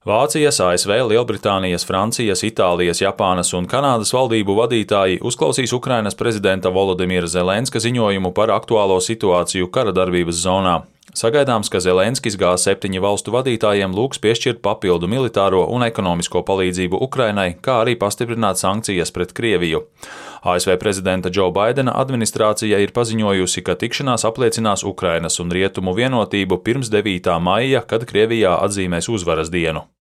Vācijas, ASV, Lielbritānijas, Francijas, Itālijas, Japānas un Kanādas valdību vadītāji uzklausīs Ukrainas prezidenta Volodimira Zelenska ziņojumu par aktuālo situāciju kara darbības zonā. Sagaidāms, ka Zelenskis G7 valstu vadītājiem lūgs piešķirt papildu militāro un ekonomisko palīdzību Ukrainai, kā arī pastiprināt sankcijas pret Krieviju. ASV prezidenta Džo Baidena administrācija ir paziņojusi, ka tikšanās apliecinās Ukrainas un Rietumu vienotību pirms 9. maija, kad Krievijā atzīmēs uzvaras dienu.